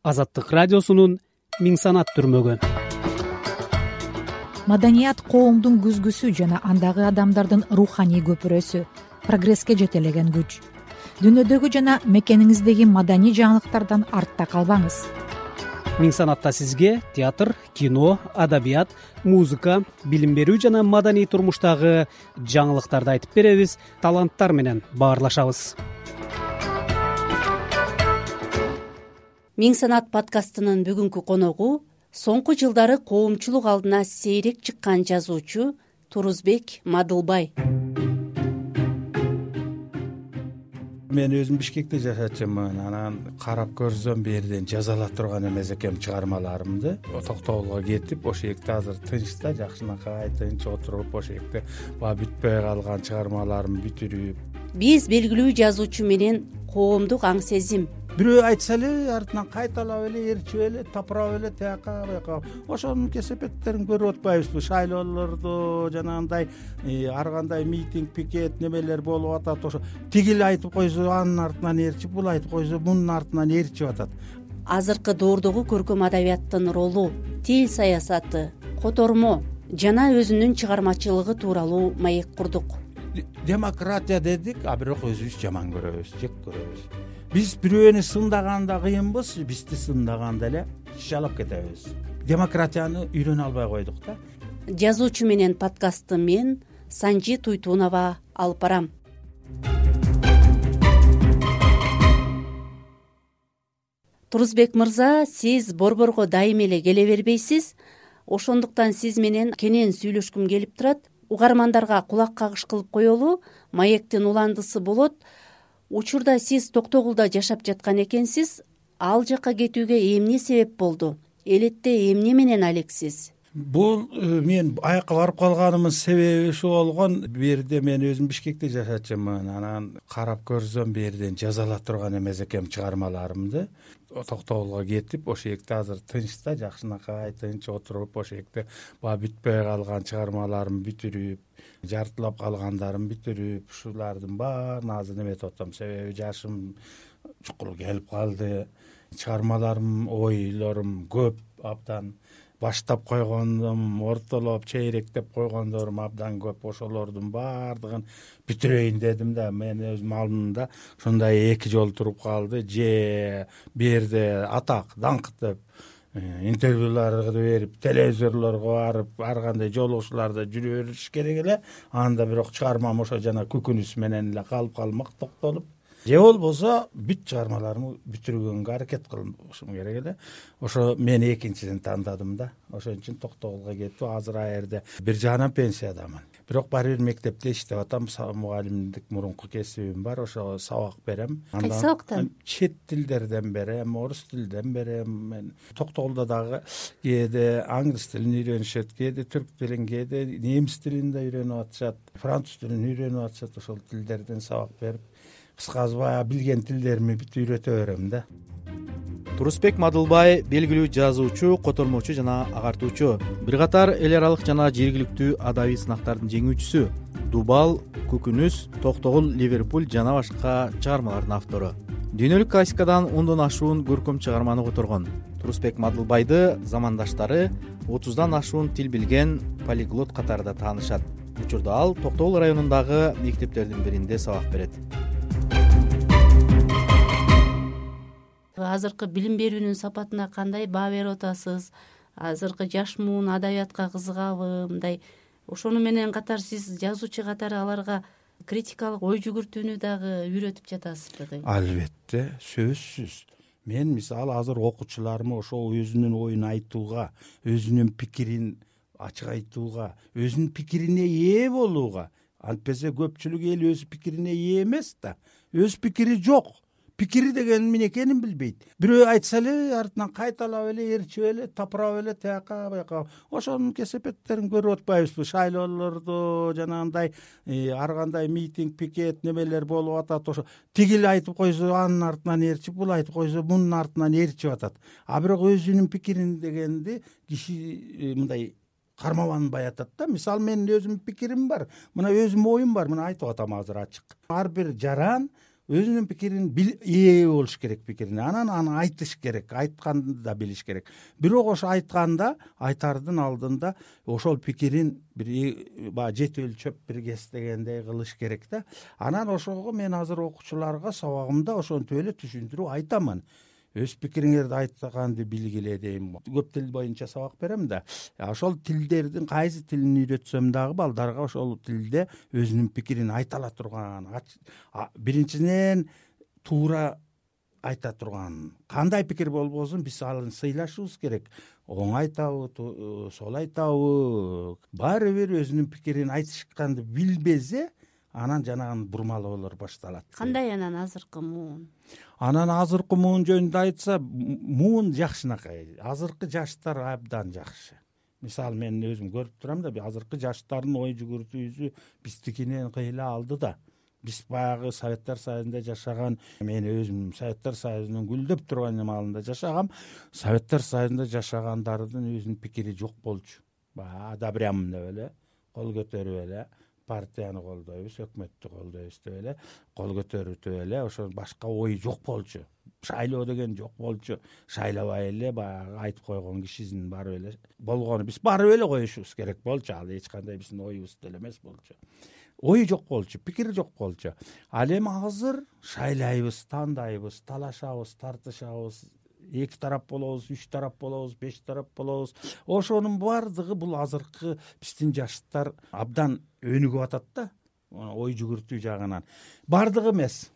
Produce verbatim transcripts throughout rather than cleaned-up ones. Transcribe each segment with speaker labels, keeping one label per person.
Speaker 1: Азаттык радиосунун Миң санат түрмөгү.
Speaker 2: Маданият коомдун күзгүсү жана андагы адамдардын руханий көпүрөсү, прогресске жетелеген күч. Дүйнөдөгү жана мекениңиздеги маданий жаңылыктардан артта калбаңыз.
Speaker 1: Миң санатта сизге театр, кино, адабият, музыка, билим берүү жана маданий турмуштагы жаңылыктарды айтып беребиз, таланттар менен баарлашабыз.
Speaker 3: Миң санат подкастынын бүгүнкү коногу соңку жылдары коомчулук алдына сейрек чыккан жазуучу Турузбек Мадылбай.
Speaker 4: Мен өзүм Бишкекте жашачумун. Анан карап көрсөм бул жерден жаза ала турган эмес экем чыгармаларымды. Токтогулга кетип, ошол жерде азыр тынч да, жакшынакай тынч отуруп, ошол жерде баягы бүтпөй калган чыгармаларымды бүтүрүп.
Speaker 3: Биз белгилүү жазуучу менен коомдук аң сезим,
Speaker 4: Бирөө айтса эле артынан кайталап эле, ээрчип эле, тапырап эле тияка бияка ошонун кесепеттерин көрүп атпайбызбы? Шайлоолордо жанагындай ар кандай митинг, пикет немелер болуп атат. Ошо тигил айтып койсо анын артынан ээрчип, бул айтып койсо мунун артынан ээрчип атат.
Speaker 3: Азыркы доордогу көркөм адабияттын ролу, тил саясаты, котормо жана өзүнүн чыгармачылыгы тууралуу маек курдук.
Speaker 4: Демократия дедик, а бирок өзүбүз жаман көрөбүз, жек көрөбүз. Биз бирөөнү сындаганда кыйынбыз, бизди сындаганда эле шалап кетебиз. Демократияны үйрөнө албай койдук да.
Speaker 3: Жазуучу менен подкастты мен Санжи Туйтунова алып барам. Турузбек мырза, сиз борборго дайым эле келе бербейсиз. Ошондуктан сиз менен кенен сүйлөшкүм келип турат. Угармандарга кулак кагыш кылып коелу, маектин уландысы болот. Учурда сиз Токтогулда жашап жаткан экенсиз. Ал жака кетүүгө эмне себеп болду? Элетте эмне менен алексиз?
Speaker 4: Бул мен аякка барып калганымдын себеби ушу болгон. Бу жерде мен өзүм Бишкекте жашачумун. Анан карап көрсөм бу жерден жаза ала турган эмес экем чыгармаларымды. Токтогулга кетип, ошол жерде азыр тынч да, жакшынакай тынч отуруп, ошол жерде баягы бүтпөй калган чыгармаларымды бүтүрүп, жартылап калгандарымды бүтүрүп, ушулардын баарын азыр неметип атам. Себеби жашым чукул келип калды. Чыгармаларым, ойлорум көп, абдан баштап койгондум, ортолоп, чейректеп койгондорум абдан көп. Ошолордун баардыгын бүтүрөйүн дедим да. Мен өзүм алдымда ушундай эки жол туруп калды. Же бу жерде атак, даңк деп интервьюларды берип, телевизорлорго барып, ар кандай жолугушууларда жүрө бериш керек эле. Анда бирок чыгармам ошо жана көкүнүс менен эле калып калмак, токтолуп. Же болбосо бүт чыгармаларымды бүтүргөнгө аракет кылышым керек эле. Ошо мен экинчиден тандадым да. Ошон үчүн Токтогулга кетип, азыр а жерде бир жагынан пенсиядамын. Бирок баары бир мектепте иштеп атам. Мугалимдик мурунку кесибим бар. Ошо сабак берем.
Speaker 3: Кайсы сабактан?
Speaker 4: Чет тилдерден берем, орус тилден берем. Мен Токтогулда дагы кээде англис тилин үйрөнүшөт, кээде түрк тилин, кээде немис тилин да үйрөнүп атышат, француз тилин үйрөнүп атышат. Ошол тилдерден сабак берип, кыскасы баягы билген тилдеримди бүт үйрөтө берем да.
Speaker 5: Турузбек Мадылбай белгилүү жазуучу, котормочу жана агартуучу. Бир катар эл аралык жана жергиликтүү адабий сынактардын жеңүүчүсү. Дубал, Көкүнүс, Токтогул, Ливерпуль жана башка чыгармалардын автору. Дүйнөлүк классикадан ондон ашуун көркөм чыгарманы которгон. Турузбек Мадылбайды замандаштары отуздан ашуун тил билген полиглот катарында таанышат. Учурда ал Токтогул районундагы мектептердин биринде сабак берет.
Speaker 3: Азыркы билим берүүнүн сапатына кандай баа берип атасыз? Азыркы жаш муун адабиятка кызыгабы? Мындай ошону менен катар сиз жазуучу катары аларга критикалык ой жүгүртүүнү дагы үйрөтүп жатасызбы?
Speaker 4: Албетте, сөзсүз. Мен мисалы азыр окуучуларыма ошол өзүнүн оюн айтууга, өзүнүн пикирин ачык айтууга, өзүнүн пикирине ээ болууга. Антпесе көпчүлүк эл өз пикирине ээ эмес да. Өз пикири жок. Пикири деген эмне экенин билбейт. Бирөө айтса эле артынан кайталап эле, ээрчип эле, тапырап эле тияка бияка ошонун кесепеттерин көрүп атпайбызбы? Шайлоолордо жанагындай ар кандай митинг, пикет немелер болуп атат. Ошо тигил айтып койсо анын артынан ээрчип, бул айтып койсо мунун артынан ээрчип атат. А бирок өзүнүн пикирин дегенди киши мындай кармабанбай атат да. Мисалы менин өзүмдүн пикирим бар. Мына өзүмдүн оюм бар. Мына айтып атам азыр ачык. Ар бир жаран өзүнүн пикирин ээ болуш керек, пикирине анан аны айтыш керек, айтканды да билиш керек. Бирок ошо айтканда айтардын алдында ошол пикирин бир баягы жети өлчөп бир кестегендей кылыш керек да. Анан ошого мен азыр окуучуларга сабагымда ошентип эле түшүндүрүп айтамын. Өз пикириңерди айтканды билгиле дейм. Көп тил боюнча сабак берем да. Ошол тилдердин кайсы тилин үйрөтсөм дагы балдарга ошол тилде өзүнүн пикирин айта ала турган, биринчиден туура айта турган. Кандай пикир болбосун биз аны сыйлашыбыз керек. Оң айтабы, сол айтабы, баары бир өзүнүн пикирин айтышканды билбесе, анан жанагы бурмалоолор башталат.
Speaker 3: Кандай анан азыркы муун?
Speaker 4: Анан азыркы муун жөнүндө айтса, муун жакшынакай. Азыркы жаштар абдан жакшы. Мисалы мен өзүм көрүп турам да, азыркы жаштардын ой жүгүртүүсү биздикинен кыйла алды да. Биз баягы Советтер Союзунда жашаган, мен өзүм Советтер Союзунун гүлдөп турган маалында жашагам. Советтер Союзунда жашагандардын өзүнүн пикири жок болчу. Баягы одобрям деп эле, кол көтөрүп эле партияны колдойбуз, өкмөттү колдойбуз деп эле кол көтөрүп эле ошо башка ой жок болчу. Шайлоо деген жок болчу. Шайлабай эле баягы айтып койгон кишисин барып эле болгону биз барып эле коюшубуз керек болчу. Ал эч кандай биздин оюбуз деле эмес болчу. Ой жок болчу, пикир жок болчу. Ал эми азыр шайлайбыз, тандайбыз, талашабыз, тартышабыз. Эки тарап болобуз, үч тарап болобуз, беш тарап болобуз. Ошонун баардыгы бул азыркы биздин жаштар абдан өнүгүп атат да, ой жүгүртүү жагынан. Баардыгы эмес.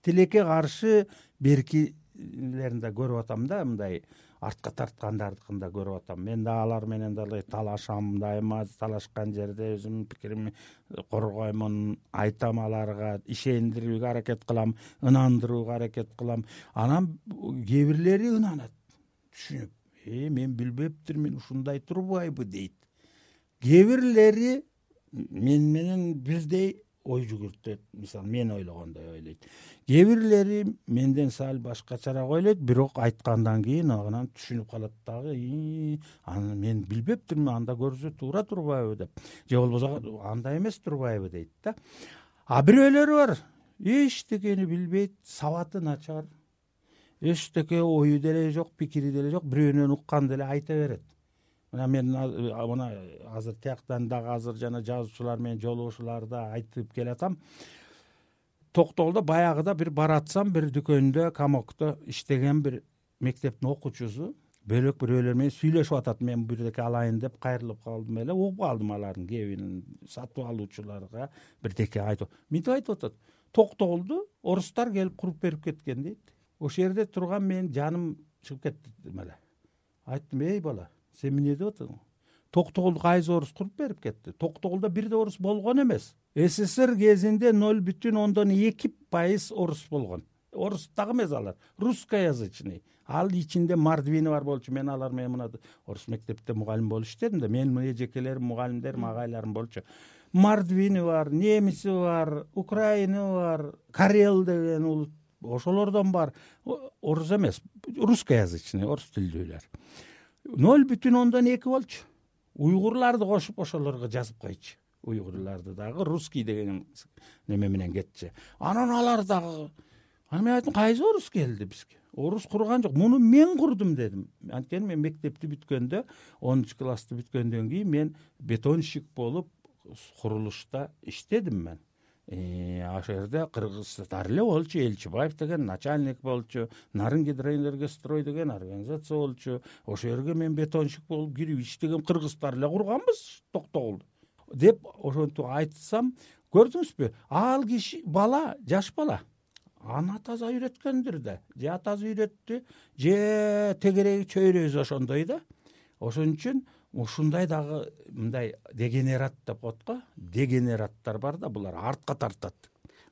Speaker 4: Тилекке каршы беркилерин да көрүп атам да, мындай артка тарткандардыкын да көрүп атам. Мен да алар менен дагы талашам, дайыма талашкан жерде өзүмдүн пикиримди коргоймун, айтам аларга, ишендирүүгө аракет кылам, ынандырууга аракет кылам. Анан кээ бирлери ынанат, түшүнүп, э мен билбептирмин, ушундай турбайбы дейт. Кээ бирлери мен менен бирдей ой жүгүртөт, мисалы мен ойлогондой ойлойт. Кээ бирлери менден сал башкачараак ойлойт, бирок айткандан кийин анан түшүнүп калат дагы, аны мен билбептирмин, анда көрсө туура турбайбы деп. Же болбосо андай эмес турбайбы дейт да. А бирөөлөрү бар, эчтекени билбейт, сабаты начар, эчтеке ою деле жок, пикири деле жок, бирөөнөн уккан деле айта берет. Мына мен мына азыр тияктан дагы азыр жана жазуучулар менен жолугушууларда айтып келатам. Токтогулда баягыда бир баратсам, бир дүкөндө, комокто иштеген бир мектептин окуучусу бөлөк бирөөлөр менен сүйлөшүп атат. Мен бирдеке алайын деп кайрылып калдым эле, угуп алдым алардын кебин сатып алуучуларга бирдеке айтып. Мынтип айтып атат. Токтогулду орустар келип куруп берип кеткен дейт. Ошол жерде турган мен жаным чыгып кетти эле. Айттым, эй бала, сен эмне деп атасың? Токтогулду кайсы орус куруп берип кетти? Токтогулда бир да орус болгон эмес. СССР кезинде ноль бүтүн ондон эки пайыз орус болгон. Орус дагы эмес алар, русскоязычный. Ал ичинде мордвини бар болчу. Мен алар менен мына орус мектепте мугалим болуп иштедим да. Менин эжекелерим, мугалимдерим, агайларым болчу. Мордвини бар, немиси бар, украины бар, карел деген улут, ошолордон бар. Орус эмес, русскоязычный, орус тилдүүлөр. ноль бүтүн ондон эки болчу. Уйгурларды кошуп ошолорго жазып койчу. Уйгурларды дагы русский деген неме менен кетчи. Анан алар дагы, аны мен айттым, кайсы орус келди бизге? Орус курган жок, муну мен курдум дедим. Анткени мен мектепти бүткөндө, онунчу классты бүткөндөн кийин мен бетонщик болуп курулушта иштедим мен. Ошол жерде кыргыздар эле болчу, Элчибаев деген начальник болчу, Нарын гидроэнергострой деген организация болчу. Ошол жерге мен бетонщик болуп кирип иштеген, кыргыздар эле курганбыз Токтогулду деп ошентип айтсам, көрдүңүзбү? Ал киши бала, жаш бала. Аны атасы үйрөткөндүр да. Же атасы үйрөттү, же тегереги чөйрөсү ошондой да. Ошон үчүн ушундай дагы мындай дегенерат деп коет го. Дегенераттар бар да, булар артка тартат.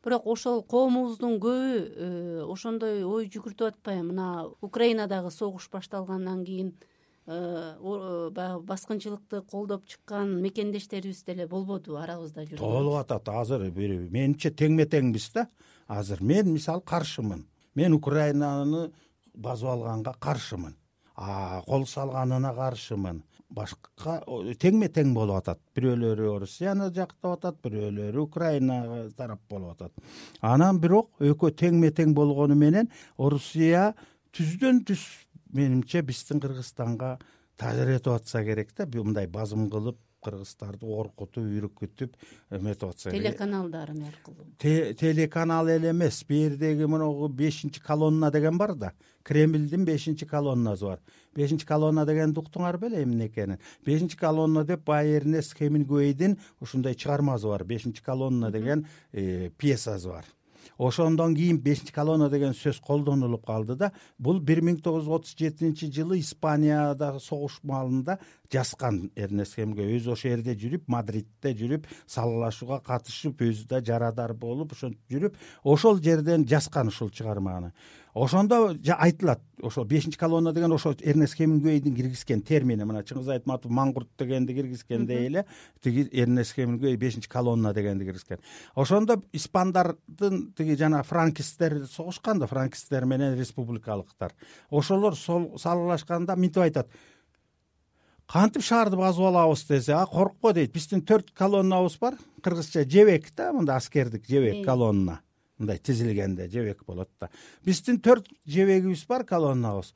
Speaker 3: Бирок ошол коомубуздун көбү ошондой ой жүгүртүп атпайбы? Мына Украинадагы согуш башталгандан кийин баягы баскынчылыкты колдоп чыккан мекендештерибиз деле болбоду арабызда жүргөн?
Speaker 4: Толуп атат азыр. Менимче теңме теңбиз да. Азыр мен мисалы каршымын. Мен Украинаны басып алганга каршымын. кол салганына каршымын. Башка теңме тең болуп атат. Бирөөлөрү Россияны жактап атат, бирөөлөрү Украина тарап болуп атат. Анан бирок экөө теңме тең болгону менен Орусия түздөн түз менимче биздин Кыргызстанга таасир этип атса керек да, мындай базым кылып кыргыздарды коркутуп, үркүтүп эметип атса керек.
Speaker 3: Телеканалдары аркылуу.
Speaker 4: Телеканал эле эмес, бу жердеги могу бешинчи колонна деген бар да. Кремлдин бешинчи колоннасы бар. бешинчи колонна дегенди уктуңар беле эмне экенин? бешинчи колонна деп бай Эрнест Хемингуэйдин ушундай чыгармасы бар. бешинчи колонна деген пьесасы бар. Ошондон кийин бешинчи колонна деген сөз колдонулуп калды да. Бул бир миң тогуз жүз отуз жетинчи жылы Испаниядагы согуш маалында жазган Эрнест Хемингуэй. Өзү ошол жерде жүрүп, Мадридте жүрүп, саллашууга катышып, өзү да жарадар болуп, ошентип жүрүп, ошол жерден жазган ушул чыгарманы. Ошондо айтылат, ошо бешинчи колонна деген ошо Эрнест Хемингуэйдин киргизген термини. Мына Чыңгыз Айтматов маңгурт дегенди киргизгендей эле, тиги Эрнест Хемингуэй бешинчи колонна дегенди киргизген. Ошондо испандардын тиги жана франкисттер согушкан да, франкисттер менен республикалыктар. Ошолор салгылашканда мынтип айтат: кантип шаарды басып алабыз десе, а коркпо дейт. Биздин төрт колоннабыз бар. Кыргызча жебек да, мында аскердик жебек колонна. Мындай тизилгенде жебек болот да. Биздин төрт жебегибиз бар, колоннабыз.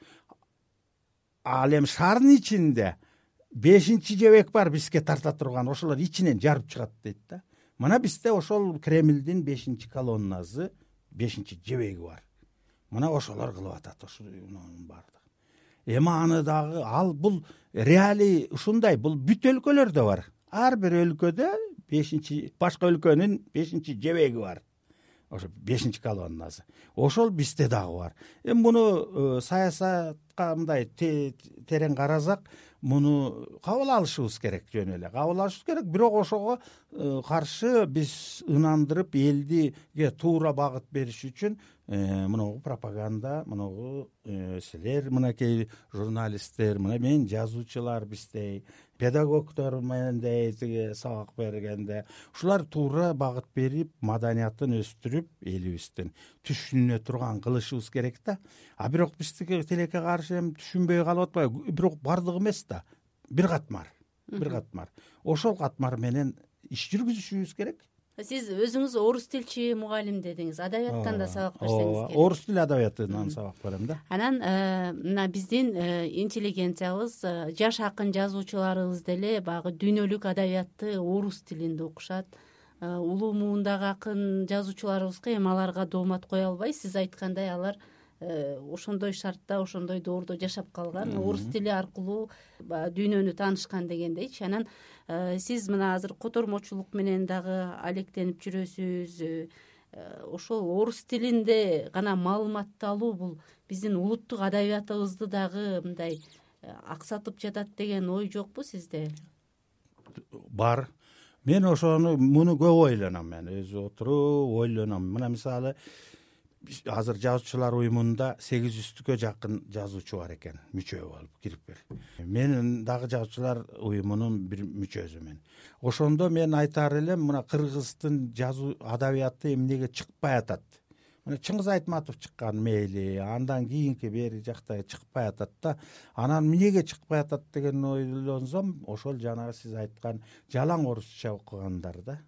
Speaker 4: Ал эми шаардын ичинде бешинчи жебек бар бизге тарта турган. Ошолор ичинен жарып чыгат дейт да. Мына бизде ошол Кремлдин бешинчи колоннасы, бешинчи жебеги бар. Мына ошолор кылып атат ошонун баардыгы. Эми аны дагы ал бул реалий ушундай, бул бүт өлкөлөрдө бар. Ар бир өлкөдө бешинчи, башка өлкөнүн бешинчи жебеги бар. Ошо бешинчи колоннасы. Ошол бизде дагы бар. Эми муну саясатка мындай терең карасак, муну кабыл алышыбыз керек, жөн эле кабыл алышыбыз керек. Бирок ошого каршы биз ынандырып, элдиге туура багыт бериш үчүн мынагу пропаганда, мынагу силер, мынакей журналисттер, мына мен жазуучулар, биздей педагогдор мендей тиги сабак бергенде ушулар туура багыт берип, маданиятын өстүрүп, элибиздин түшүнө турган кылышыбыз керек да. А бирок биздики тилекке каршы эми түшүнбөй калып атпайбы? Бирок бардыгы эмес да. Бир катмар. Бир катмар. Ошол катмар менен иш жүргүзүшүбүз керек.
Speaker 3: Сиз өзүңүз орус тилчи мугалим дедиңиз, адабияттан да сабак берсеңиз керек.
Speaker 4: Орус тили адабиятынан сабак берем да.
Speaker 3: Анан мына биздин интеллигенциябыз, жаш акын жазуучуларыбыз деле баягы дүйнөлүк адабиятты орус тилинде окушат. Улуу муундагы акын жазуучуларыбызга эми аларга доомат кое албай, сиз айткандай алар ошондой шартта, ошондой доордо жашап калган, орус тили аркылуу дүйнөнү таанышкан дегендейчи. Анан сиз мына азыр котормочулук менен дагы алектенип жүрөсүз. Ошол орус тилинде гана маалыматты алуу бул биздин улуттук адабиятыбызды дагы мындай аксатып жатат деген ой жокпу сизде?
Speaker 4: Бар. Мен ошону муну көп ойлоном, мен өзү отуруп ойлоном. Мына мисалы, азыр жазуучулар уюмунда сегиз жүздүккө жакын жазуучу бар экен, мүчө болуп кирип бер. Мен дагы жазуучулар уюмунун бир мүчөсүмүн. Ошондо мен айтар элем, мына кыргыздын жазуу адабияты эмнеге чыкпай атат. Мына Чыңгыз Айтматов чыккан мейли, андан кийинки бери жакта чыкпай атат да. Анан эмнеге чыкпай атат деген ойлонсом, ошол жанагы сиз айткан жалаң орусча окугандар да.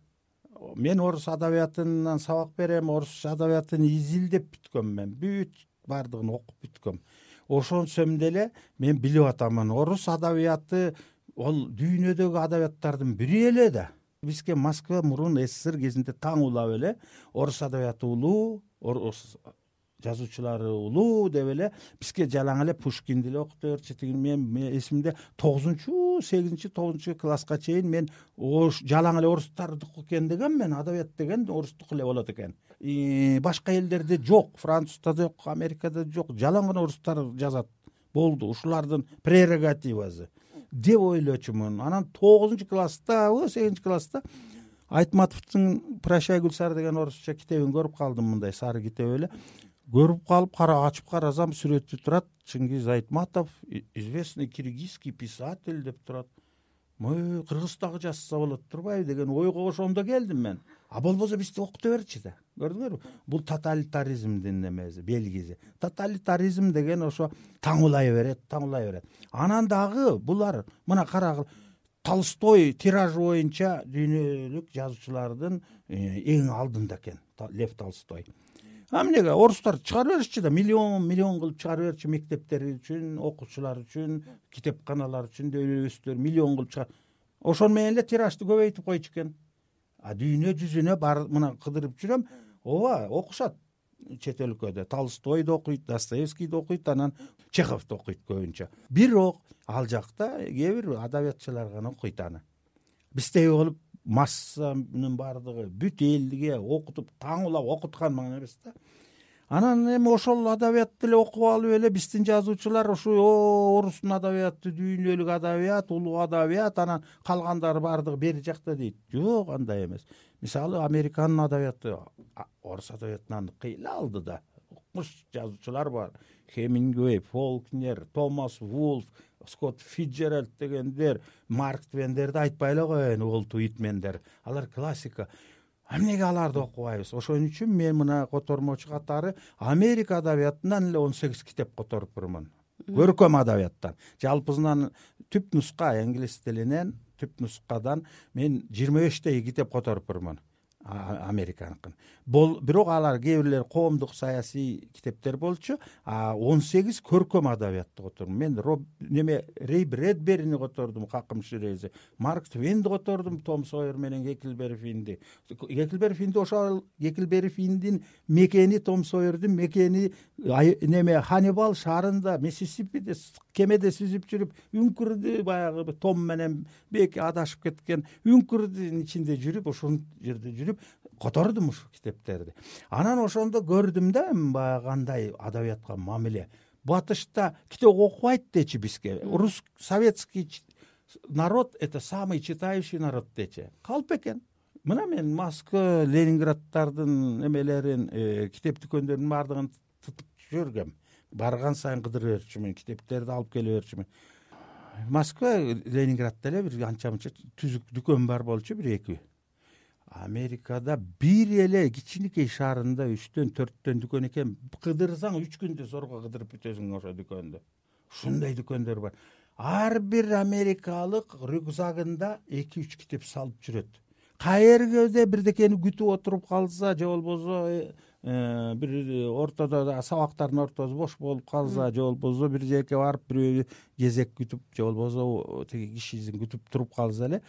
Speaker 4: Мен орус адабиятынан сабак берем, орус адабиятын изилдеп бүткөм мен. Бүт бардыгын окуп бүткөм. Ошонсом деле мен билип атамын, орус адабияты ол дүйнөдөгү адабияттардын бири эле да. Бизге Москва мурун СССР кезинде таң улап эле орус адабияты улуу, орус жазуучулары улуу деп эле бизге жалаң эле Пушкинди эле окуп берчү. Мен эсимде тогузунчу, сегизинчи, тогузунчу класска чейин мен жалаң эле орустардыкы экен деген, мен адабият деген орустук эле болот экен. Башка элдерде жок, Французда жок, Америкада жок, жалаң гана орустар жазат. Болду, ушулардын прерогативасы деп ойлочумун. Анан тогузунчу класста, сегизинчи класста Айтматовдун Прощай Гүлсары деген орусча китебин көрүп калдым, мындай сары китеп эле. Көрүп калып, кара ачып карасам, сүрөтү турат, Чыңгыз Айтматов, известный киргизский писатель деп турат. Мой Кыргыз дагы жазса болот турбайбы деген ойго ошондо келдим мен. а болбосо бизди окута берчи да. Көрдүңөрбү? Бул тоталитаризмдин немеси, белгиси. Тоталитаризм деген ошо таңулай берет, таңулай берет. Анан дагы булар мына карагыла, Толстой тиражы боюнча дүйнөлүк жазуучулардын эң алдында экен, Лев Толстой. А эмнеге орустар чыгарып беришчи да, миллион миллион кылып чыгарып берчи, мектептер үчүн, окуучулар үчүн, китепканалар үчүн, дөбөстөр миллион кылып чыгар. Ошон менен эле тиражды көбөйтүп койчу экен. А дүйнө жүзүнө бар мына кыдырып жүрөм, ооба окушат чет өлкөдө. Толстойду окуйт, Достоевскийди окуйт, анан Чеховду окуйт көбүнчө. Бирок ал жакта кээ бир адабиятчылар гана окуйт аны. Биздей болуп массанын бардыгы бүт элге окутуп, таңулап окуткан мага эмес да. Анан эми ошол адабиятты эле окуп алып эле биздин жазуучулар ушу орустун адабияты дүйнөлүк адабият, улуу адабият, анан калгандары бардыгы бери жакта дейт. Жок, андай эмес. Мисалы, Американын адабияты орус адабиятынан кыйла алды да. Укмуш жазуучулар бар. Хемингуэй, Фолкнер, Томас Вулф, Скотт Фитджеральд дегендер, Марк Твендерди айтпай эле коеюн, Уолт Уитмендер. Алар классика. Эмнеге аларды окубайбыз? Ошон үчүн мен мына котормочу катары Америка адабиятынан эле он сегиз китеп которупмун. Көркөм адабияттан. Жалпысынан түп нуска, англис тилинен түп нускадан мен жыйырма бештей китеп которупмун. Американыкын. Бол бирок алар кээ бирлери коомдук саясий китептер болчу, а он сегиз көркөм адабиятты котордум. Мен неме Рей Брэдберини котордум, Какым Ширези, Марк Твенди котордум, Том Сойер менен Геклбери Финди. Геклбери Финди ошол Геклбери Финдин мекени, Том Сойердин мекени неме Ханнибал шаарында, Миссисипиде кемеде сүзүп жүрүп, үңкүрдү баягы Том менен беки адашып кеткен үңкүрдүн ичинде жүрүп, ошол жерде жүрүп котордум ушу китептерди. Анан ошондо көрдүм да, баягы кандай адабиятка мамиле. Батышта китеп окубайт дечи бизге. Рус советский народ это самый читающий народ дечи. Калп экен. Мына мен Москва, Ленинграддардын эмелерин, китеп дүкөндөрүнүн бардыгын тутуп жүргөм. Барган сайын кыдырып берчүмүн, китептерди алып келе берчүмүн. Москва, Ленинградда эле бир анча-мынча түзүк дүкөн бар болчу, бир эки. Америкада бир эле кичинекей шаарында үчтөн төрттөн дүкөн экен. Кыдырсаң үч күндө сорго кыдырып бүтөсүң ошо дүкөндө. Ушундай дүкөндөр бар. Ар бир америкалык рюкзагында эки үч китеп салып жүрөт. Каерге бирдекени күтүп отуруп калса, же болбосо бир ортодо сабактардын ортосу бош болуп калса, же болбосо бир жерге барып бирөө кезек күтүп, же болбосо тиги кишисин күтүп туруп калса эле,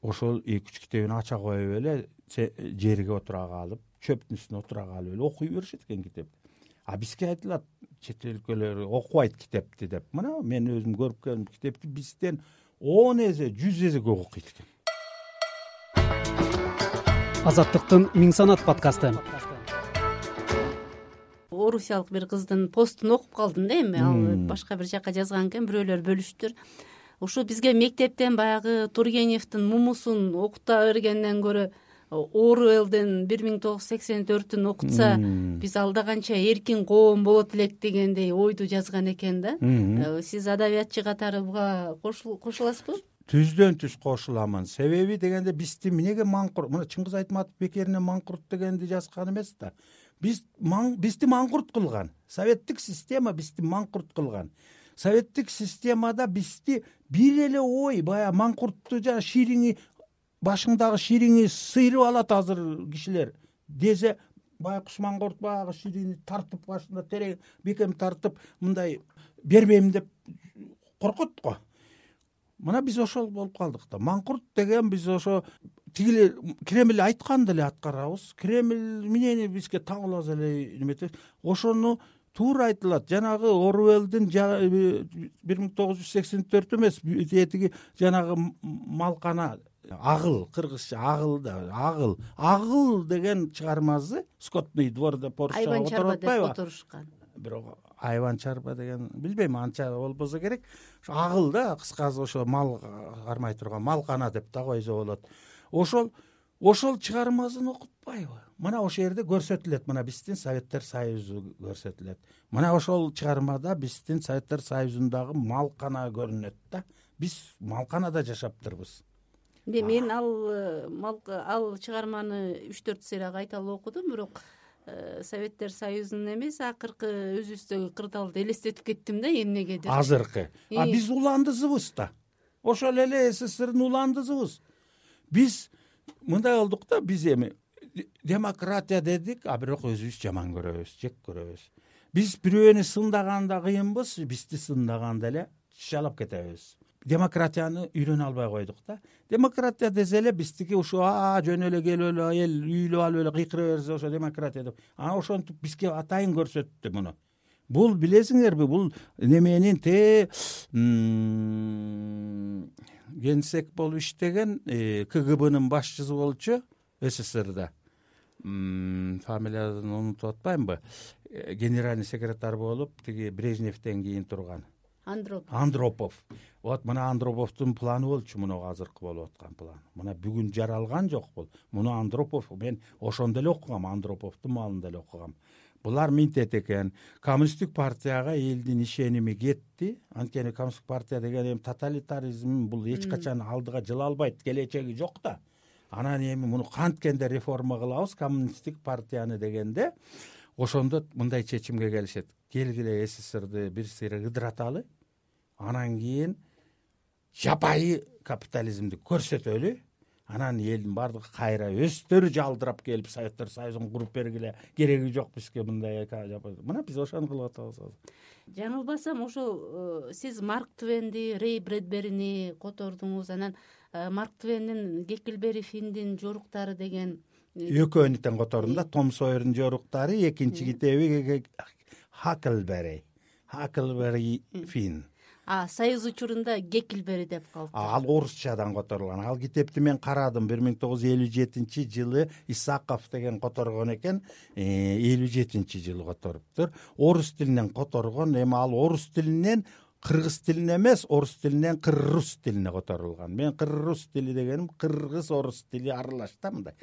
Speaker 4: ошол эки үч китебин ача коюп эле жерге отура калып, чөптүн үстүнө отура калып эле окуй беришет экен китеп. А бизге айтылат, чет өлкөлөр окубайт китепти деп. Мына мен өзүм көрүп келдим, китепти бизден он эсе, жүз эсе көп окуйт экен.
Speaker 1: Азаттыктын Миң санат подкасты.
Speaker 3: Орусиялык бир кыздын постун окуп калдым да эми, ал башка бир жака жазган экен, бирөөлөр бөлүштүр. Ушу бизге мектептен баягы Тургеневдин Мумусун окута бергенден көрө Оруэллдин бир миң тогуз жүз сексен төртүн окутса, биз алда канча эркин коом болот элек дегендей ойду жазган экен да. Сиз адабиятчы катары буга кошуласызбы?
Speaker 4: Түздөн түз кошуламын. Себеби дегенде бизди эмнеге маңкурт, мына Чыңгыз Айтматов бекерине маңкурт дегенди жазган эмес да. Биз бизди маңкурт кылган. Советтик система бизди маңкурт кылган. Советтик системада бизди бир эле ой, баягы маңкуртту жана шириңи, башыңдагы шириңи сыйрып алат азыр кишилер. Десе Байкуш маңкурт баягы ширини тартып, башында терең бекем тартып, мындай бербейм деп коркот го. Мына биз ошол болуп калдык да. Маңкурт деген биз ошо тигиле Кремль айтканды эле аткарабыз. Кремль менен бизге таңылабыз эле неметет. Ошону туура айтылат. Жанагы Оруэллдин бир миң тогуз жүз сексен төрт эмес, этиги жанагы малкана, агыл, кыргызча агыл да, агыл. Агыл деген чыгармасы Скотный дворда Поршага отуруппайбы?
Speaker 3: Отурушкан.
Speaker 4: Бирок айван чарба деген билбейм, анча болбосо керек. Ошо агыл да, кыскасы ошо мал кармай турган малкана деп да койсо болот. Ошол ошол чыгармасын окутпайбы? Мына ошол жерде көрсөтүлөт, мына биздин Советтер Союзу көрсөтүлөт. Мына ошол чыгармада биздин Советтер Союзундагы малкана көрүнөт да. Биз малканада жашаптырбыз.
Speaker 3: мен ал ал чыгарманы үч төрт серия кайталап окудум, бирок Советтер Союзунун эмес, акыркы өзүбүздөгү кырдаалды элестетип кеттим да эмнегедир.
Speaker 4: Азыркы а биз уландызыбыз да, ошол эле СССРдин уландызыбыз. Биз мындай болдук да, биз эми демократия дедик, а бирок өзүбүз жаман көрөбүз, жек көрөбүз. Биз бирөөнү сындаганда кыйынбыз, бизди сындаганда эле шалап кетебиз. Демократияны үйрөнө албай койдук да. Демократия десе эле биздики ушу жөн эле келип эле эл үйлөп алып эле кыйкыра берсе ошо демократия деп. Анан ошентип бизге атайын көрсөттү муну. Бул билесиңерби, бул неменин те генсек болуп иштеген КГБнын башчысы болчу СССРда. Фамилиясын унутуп атпаймынбы? Генеральный секретарь болуп, тиги Брежневден кийин турган.
Speaker 3: Андропов.
Speaker 4: Андропов. Вот мына Андроповдун планы болчу, муну азыркы болуп аткан план. Мына бүгүн жаралган жок бул. Муну Андропов, мен ошондо эле окугам, Андроповдун маалында эле окугам. Булар минтет экен. Коммунисттик партияга элдин ишеними кетти. Анткени коммунисттик партия деген эми тоталитаризм, бул эч качан алдыга жыла албайт, келечеги жок да. Анан эми муну канткенде реформа кылабыз коммунисттик партияны дегенде, ошондо мындай чечимге келишет. Келгиле СССРды бир сыйра ыдыраталы. Анан кийин жапайы капитализмди көрсөтөлү. Анан элдин бардыгы кайра өздөрү жалдырап келип Советтер Союзун куруп бергиле. Кереги жок бизге мындай. Мына биз ошону кылып атабыз.
Speaker 3: Жаңылбасам, ошол сиз Марк Твенди, Рэй Брэдберини котордуңуз. Анан Марк Твеннин Геккельбери Финндин жоруктары деген
Speaker 4: экөөнү тең котордум да. Том Сойердин жоруктары, экинчи китеби Хаклбери. Хаклбери Финн.
Speaker 3: А Союз учурунда Геккельбери деп калды.
Speaker 4: Ал орусчадан которулган. Ал китепти мен карадым, бир миң тогуз жүз элүү жетинчи жылы Исаков деген которгон экен, элүү жетинчи жылы которуптур. Орус тилинен которгон, эми ал орус тилинен кыргыз тилине эмес, орус тилинен кыргыз тилине которулган. Мен кыргыз тили дегеним кыргыз орус тили аралаш да, мындай.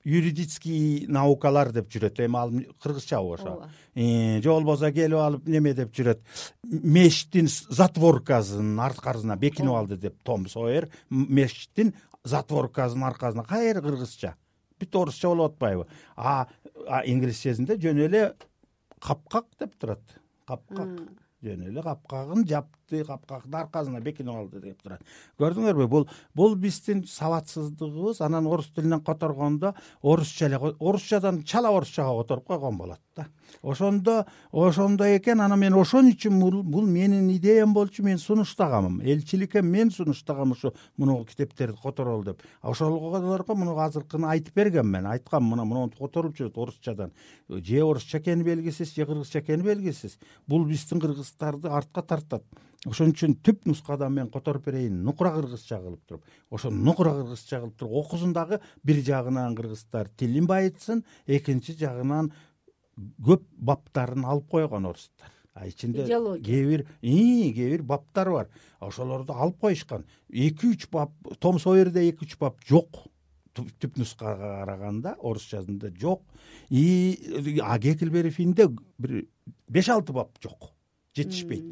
Speaker 4: Юридический наукалар деп жүрөт. Эми ал кыргызча ошо. Э, же болбосо келип алып неме деп жүрөт. Мештин затворкасын аркасына бекинип алды деп Том Сойер. Мештин затворкасын аркасына кайра кыргызча. Бүт орусча болуп атпайбы? А инглисчесинде жөн эле капкак деп турат. Капкак. Жөн эле капкагын жапты, капкактын аркасына бекинип алды деп турат. Көрдүңөрбү? Бул бул биздин сабатсыздыгыбыз. Анан орус тилинен которгондо орусча эле, орусчадан чала орусчага которуп койгон болот да. Ошондо ошондо экен. Анан мен ошон үчүн бул менин идеям болчу, мен сунуштагам. Элчиликке мен сунуштагам ушу муну китептерди которол деп. Ошолорго муну азыркыны айтып бергем мен. Айткам, мына муну которуп жүрөт орусчадан. Же орусча экени белгисиз, же кыргызча экени белгисиз. Бул биздин кыргыздарды артка тартат. Ошон үчүн түп нускадан мен которуп берейин, нукура кыргызча кылып туруп. Ошо нукура кыргызча кылып туруп окусун дагы, бир жагынан кыргыздар тилин байытсын, экинчи жагынан көп баптарын алып койгон орустар. А ичинде кээ бир кээ бир баптар бар. Ошолорду алып коюшкан. эки үч бап, Том Сойерде эки үч бап жок. Түп нускага караганда орусчасында жок. И а Геккельбери Финнде бир беш алты бап жок. Жетишпейт.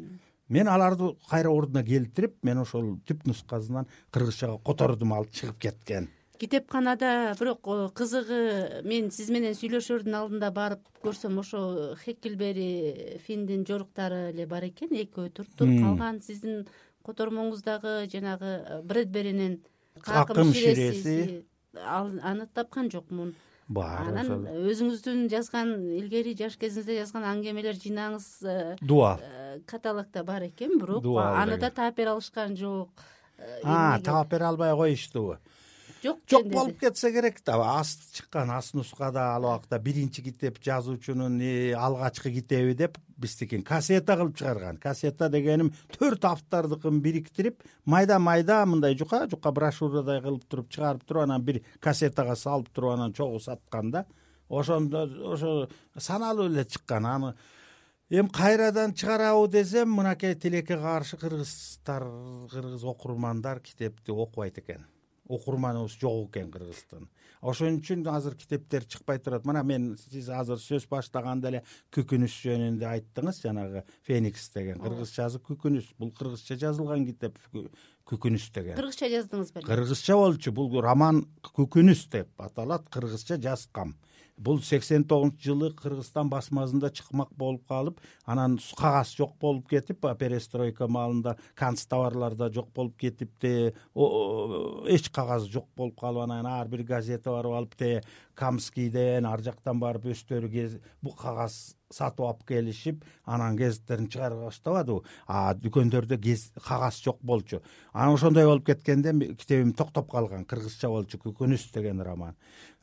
Speaker 4: Мен аларды кайра ордуна келтирип, мен ошол түп нускасынан кыргызчага котордум, алып чыгып кеткен.
Speaker 3: Китепканада бирок кызыгы, мен сиз менен сүйлөшөрдүн алдында барып көрсөм, ошо Геккельбери Финндин жоруктары эле бар экен, экөө туруптур. Калган сиздин котормоңуздагы жанагы Брэдберинин Какым ширеси, аны тапкан жокмун.
Speaker 4: Бар.
Speaker 3: Анан өзүңүздүн жазган, илгери жаш кезиңизде жазган аңгемелер жыйнагыңыз
Speaker 4: Дуал
Speaker 3: каталогдо бар экен, бирок аны да таап бере алышкан жок.
Speaker 4: А, таап бере албай коюштубу?
Speaker 3: Жок,
Speaker 4: жок болуп кетсе керек да. Аст чыккан, аст нускада ал убакта биринчи китеп жазуучунун алгачкы китеби деп биздикин кассета кылып чыгарган. Кассета дегеним төрт автордукун бириктирип, майда-майда мындай жука-жука брошюрадай кылып туруп чыгарып туруп, анан бир кассетага салып туруп, анан чогуу саткан да. Ошондо ошо саналуу эле чыккан. Аны эми кайрадан чыгарабы десем, мынакей тилекке каршы кыргыздар, кыргыз окурмандар китепти окубайт экен. Окурманыбыз жок экен Кыргызстан. Ошон үчүн азыр китептер чыкпай турат. Мына мен сиз азыр сөз баштаганда эле Күкүнүс жөнүндө айттыңыз, жанагы Феникс деген кыргызчасы Күкүнүс. Бул кыргызча жазылган китеп. Күкүнүс деген.
Speaker 3: Кыргызча жаздыңыз беле?
Speaker 4: Кыргызча болчу. Бул роман Күкүнүс деп аталат. Кыргызча жазгам. Бул сексен тогузунчу жылы Кыргызстан басмасында чыкмак болуп калып, анан кагаз жок болуп кетип, перестройка маалында канцтоварларда жок болуп кетипти. Эч кагаз жок болуп калып, анан ар бир газета барып алып, те Камскийден ар жактан барып өздөрү бул кагаз сатып алып келишип, анан гезиттерин чыгара баштабадыбы. А дүкөндөрдө кагаз жок болчу. Анан ошондой болуп кеткенде китебим токтоп калган. Кыргызча болчу Күкүнүс деген роман.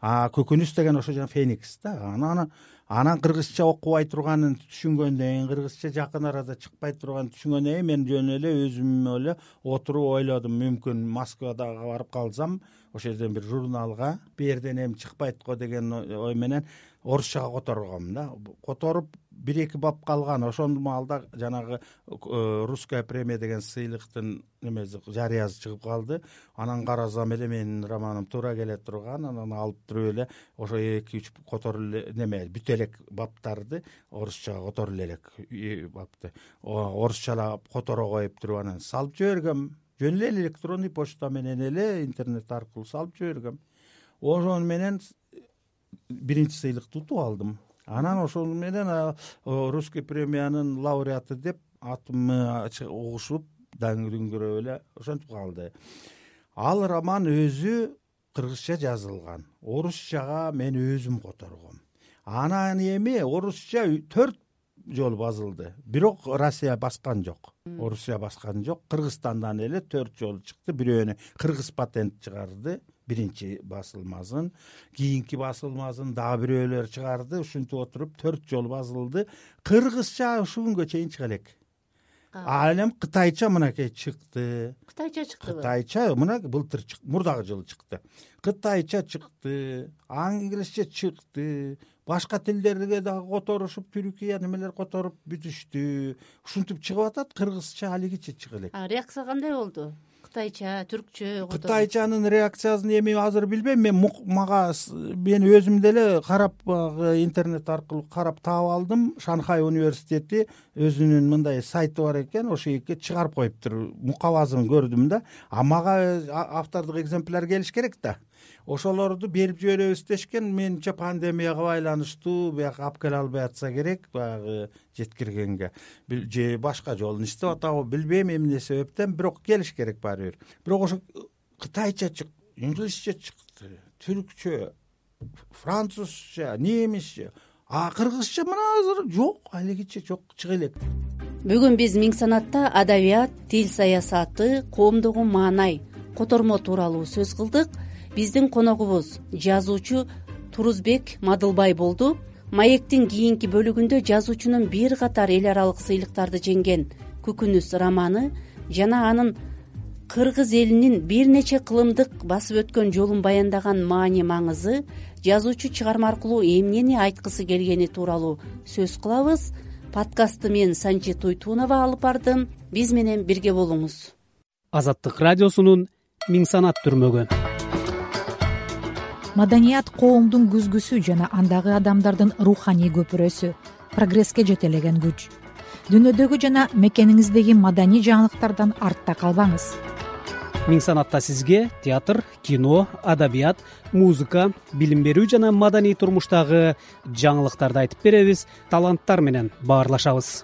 Speaker 4: А Күкүнүс деген ошо жана Феникс да. Анан анан кыргызча окубай турганын түшүнгөндөн кийин, кыргызча жакын арада чыкпай турганын түшүнгөндөн кийин мен жөн эле өзүм эле отуруп ойлодум, мүмкүн Москвада барып калсам, ошол жерден бир журналга бу жерден эми чыкпайт го деген ой менен орусчага которгом да. Которуп бир эки бап калган. Ошол маалда жанагы русская премия деген сыйлыктын немеси жарыясы чыгып калды. Анан карасам эле менин романым туура келе турган. Анан алып туруп эле ошо эки үч которуп эле неме бүт элек баптарды орусчага которуп элек бапты. Орусчалап которо коюп туруп анан салып жибергем. Жөн эле электронный почта менен эле интернет аркылуу салып жибергем. Ошон менен биринчи сыйлыкты утуп алдым. Анан ошол менен русский премиянын лауреаты деп атымы угушуп, даңгүрөп эле ошентип калды. Ал роман өзү кыргызча жазылган. Орусчага мен өзүм которгом. Анан эми орусча төрт жолу басылды. Бирок Россия баскан жок. Орусия баскан жок. Кыргызстандан эле төрт жолу чыкты. Бирөөнү кыргыз патент чыгарды. Биринчи басылмасын, кийинки басылмасын дагы бирөөлөр чыгарды. Ушинтип отуруп төрт жолу басылды. Кыргызча ушул күнгө чейин чыга элек. А эми кытайча мынакей чыкты.
Speaker 3: Кытайча чыктыбы?
Speaker 4: Кытайча мына былтыр чыкты, мурдагы жылы чыкты. Кытайча чыкты, англисче чыкты. Башка тилдерге дагы которушуп, Түркия немелер которуп бүтүштү. Ушинтип чыгып атат. Кыргызча алигиче чыга элек.
Speaker 3: А реакция кандай болду? Кытайча, түркчө,
Speaker 4: Кытайчанын реакциясын эми азыр билбейм. Мен мага мен өзүм деле карап интернет аркылуу карап таап алдым. Шанхай университети өзүнүн мындай сайты бар экен, ошо жерге чыгарып коюптур. Мукабасын көрдүм да. А мага автордук экземпляр келиш керек да. Ошолорду берип жиберебиз дешкен. Менче пандемияга байланыштуу бияка алып келе албай атса керек, баягы жеткиргенге. Же башка жолун иштеп атабы билбейм эмне себептен, бирок келиш керек баары бир. Бирок ошо кытайча чыкты, инглисче чыкты, түркчө, французча, немисче, а кыргызча мына азыр жок, алигиче жок, чыга элек.
Speaker 3: Бүгүн биз Миң санатта адабият, тил саясаты, коомдогу маанай, котормо тууралуу сөз кылдык. Биздин коногубуз жазуучу Турузбек Мадылбай болду. Маектин кийинки бөлүгүндө жазуучунун бир катар эл аралык сыйлыктарды жеңген Күкүнүс романы жана анын кыргыз элинин бир нече кылымдык басып өткөн жолун баяндаган маани маңызы, жазуучу чыгарма аркылуу эмнени айткысы келгени тууралуу сөз кылабыз. Подкастты мен Санчи Туйтунова алып бардым. Биз менен бирге болуңуз.
Speaker 1: Азаттык радиосунун Миң санат түрмөгү.
Speaker 2: Маданият коомдун күзгүсү жана андагы адамдардын руханий көпүрөсү, прогресске жетелеген күч. Дүйнөдөгү жана мекениңиздеги маданий жаңылыктардан артта калбаңыз.
Speaker 1: Миң санатта сизге театр, кино, адабият, музыка, билим берүү жана маданий турмуштагы жаңылыктарды айтып беребиз, таланттар менен баарлашабыз.